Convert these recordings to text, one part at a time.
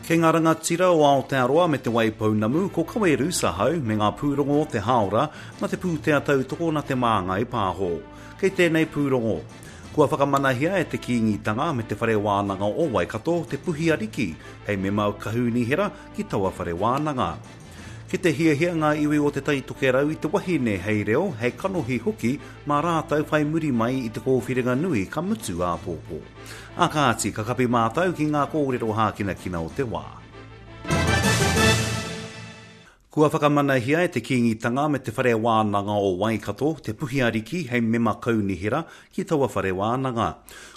Kei ngā rangatira o Aotearoa me Te Waipounamu, ko Kawe Roos ahau me ngā pūrongo o te hāora na te pūtea tautoko na Te Māngai Pāho. Kei tēnei pūrongo, kua whakamanahia e te Kīngitanga me Te Whare Wānanga o Waikato te Puhi Ariki hei mema kaunihera ki taua whare wānanga. Ki te hiahia ngā iwi o Te Tai Tokerau i te wahine hei reo, hei kanohi hoki mā rātou whai muri mai i te kōwhiringa nui ka mutu āpōpō. Ā kāti, ka kapi mātou ki ngā kōrero hākinakina o te wā. Kua whakamanahia e te Kīngitanga me Te Whare Wānanga o Waikato te Puhi Ariki hei mema kaunihera ki taua whare wānanga.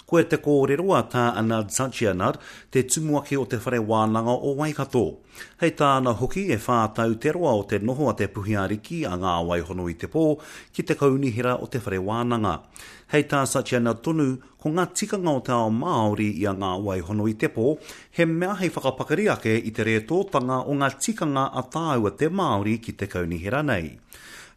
Koia te kōrero a Tā Anand Satyanand, te tumuaki o Te Whare Wānanga o Waikato. Hei tāna hoki, e whā tau te roa o te noho a te Puhi Ariki a Ngā Waihono i te Pō ki te kaunihera o te whare wānanga. Hei tā Satyanand tonu, Ko ngā tikanga o te ao Māori i a Ngā Waihono i te Pō, he mea hei whakapakari ake i te rētōtanga o ngā tikanga a tāua te Māori ki te kaunihera nei.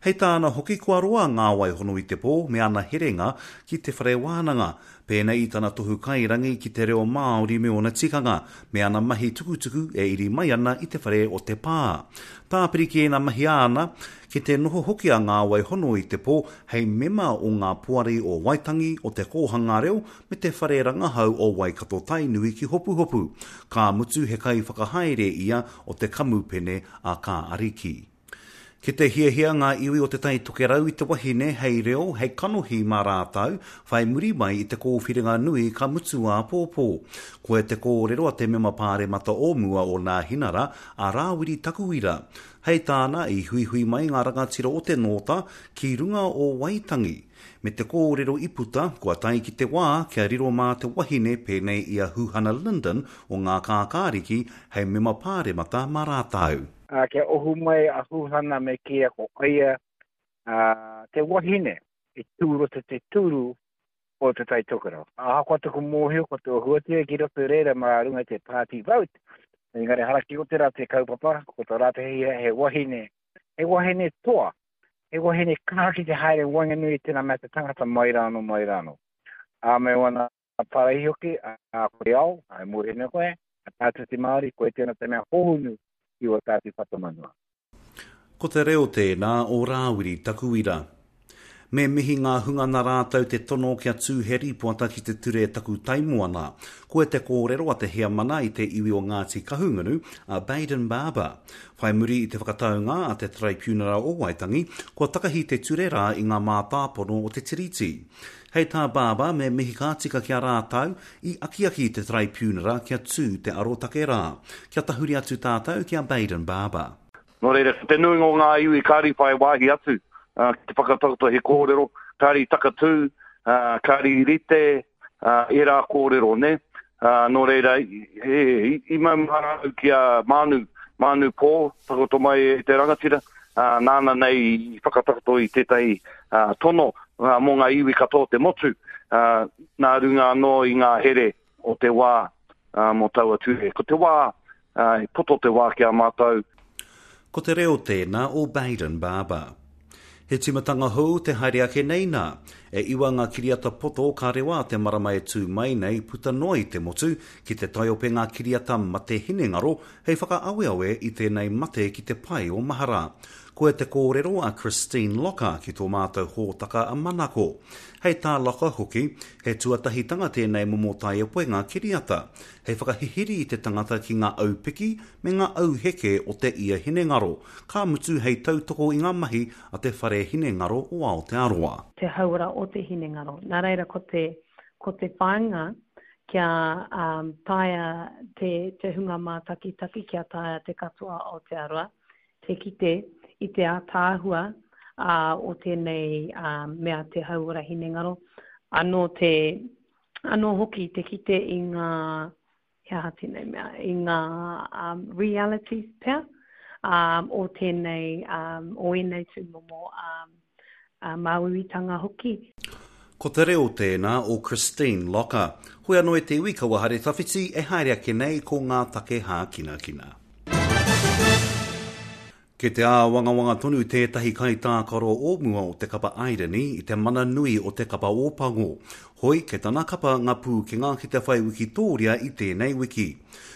Hei tāna hoki kua roa Ngā Waihono i te Pō me ana herenga ki te whare wānanga, pēnei i tana tohu kairangi ki te reo Māori me ōna tikanga, me ana mahi tukutuku e iri mai ana i te whare o te pā. Tāpiri ki ēnā mahi āna, ki te noho hoki a Ngā Waihono i te Pō hei mema o ngā poari o Waitangi, o Te Kōhanga Reo me te Whare Rangahau o Waikato-Tainui ki Hopuhopu, ka mutu he kaiwhakahaere ia o te kamupene a Kā Ariki. Ki te hiahia ngā iwi o Te Tai Tokerau i te wahine hei reo, hei kanohi mā rātou, whai muri mai i te kōwhiringa nui ka mutu āpōpō. Koia te kōrero a te mema pāremata o mua o Nāhinara, a Rāwiri Takuira. Hei tāna, i huihui mai ngā rangatira o te Nōta ki runga o Waitangi, me te kōrero i puta, kua tae ki te wā kia riro mā te wahine pēnei i a Huhana Lyndon o Ngā Kākāriki hei mema pāremata mā rātou. Ā, kia ohu mai a Huhana me kīia ko ia te wahine i tū roto te tūru o Te Tai Tokerau. Ahakoa taku mōhio ko te ohu atu ki roto i reira mā runga i te party vote, engari hara ki o te rā te kaupapa, ko tā rātou he, he wahine, he wahine toa, he wahine kaha ki te haere waenganui i tēnā mea te tangata mai rānō, mai rānō. Ā, me wana paraihi hoki, ā, ko te ao, ā, e mōhio nei koe, a tātou te Māori, koe tēnā te mea hohonu ki o tātou whatumanawa. Ko te reo tēnā o Rāwiri Takuira. Me mihi ngā hunga nā rātou te tono kia tū he rīpoata ki te ture Takutaimoana. Koe te kōrero a te heamana i te iwi o Ngāti Kahungunu, a Bayden Barber. Whai muri i te whakataunga a te Taraipiunara o Waitangi, kua takahi te ture rā i ngā mātāpono o te Tiriti. Hei tā Barber, me mihi ka tika ki a rātou i akiaki te Taraipiunara kia tū te arotake rā. Kia tahuri atu tātou ki a Bayden Barber. Nō reira, ko te nuinga o ngā iwi kāre i whai wāhi atu ki te whakatakoto he kōrero, kāre i takatū, kāre i rite ērā kōrero, nē. Nō reira, i maumahara au ki a Mānu, Mānu Pō, takoto mai e te rangatira, nāna nei i whakatakoto i tētahi tono mō ngā iwi katoa o te motu, nā runga anō i ngā here o te wā mō taua ture. Ko te wā, he poto te wā ki a mātou. Ko te reo tēnā o Bayden Barber. He tīmatanga hou te haere ake nei nā. E iwa ngā kiriata poto ka rewa a te marama e tū mai nei puta noa i te motu ki te taiope ngā kiriata mate hinengaro hei whakaaweawe i tēnei mate ki te pae o mahara. Koia te kōrero a Christine Locker ki tō mātou hōtaka a Manako. Hei tā Locker hoki, he tuatahitanga tēnei momo taiepoenga kiriata, hei whakahihiri i te tangata ki ngā aupiki me ngā auheke o te ia hinengaro, ka mutu hei tautoko i ngā mahi a te Whare Hinengaro o Aotearoa. Te hauora o te hinengaro. Nā reira ko te, ko te whāinga kia um, taea te, te hunga mātakitaki, kia taea te katoa o Aotearoa te kite i te ātaahua o tēnei mea te hauora hinengaro, anō te, anō hoki te kite i ngā, he aha tēnei mea, i ngā um, realities pea um, o tēnei, um, o ēnei tūmomo um, uh, māuiuitanga hoki. Ko te reo tēnā o Christine Locker. Hoi anō e te iwi kaua haere tawhiti e haere ake nei ko ngā take hākinakina. Kei te āwangawanga tonu tētahi kaitākaro o mua o te kapa Airani i te mana nui o te kapa Ōpango. Hoi, kei tana kapa ngā pūkenga ki te whai wikitōria i tēnei wiki.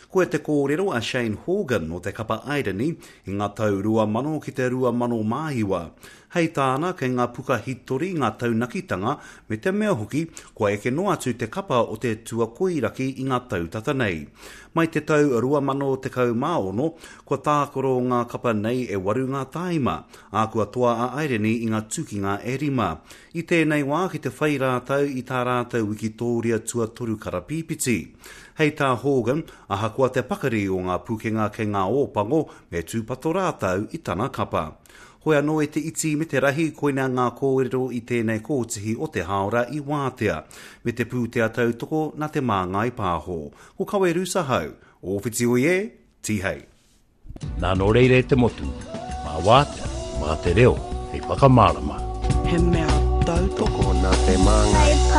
Koia te kōrero a Shane Horgan o te kapa Airani i ngā tau 2000 ki te 2009. Hei tāna, kei ngā puka hitori ngā taunakitanga me te mea hoki, kua eke noa atu te kapa o te tuakoiraki i ngā tau tata nei. Mai te tau 2016, kua tākaro ngā kapa nei e waru ngā tāima, ā, kua toa a Airani i ngā tukinga e rima. I tēnei wā ki te whai rātou i tā rātou wikitōria tuatoru karapīpiti. Hei tā Horgan, ahakoa te pakari o ngā pukenga kei ngā Ōpango, me tūpato rātou i tana kapa. Hoi anō e te iti me te rahi, koinā ngā kōrero i tēnei kōtihi o te hāora i wātea, me te pūtea tautoko nā Te Māngai Pāho. Ko Kawe Rusahau, Ōwhiti oi e, Tihei. Nā nō reira e te motu, mā wātea, mā te reo hei whakamārama. He mea tautoko nā Te Māngai.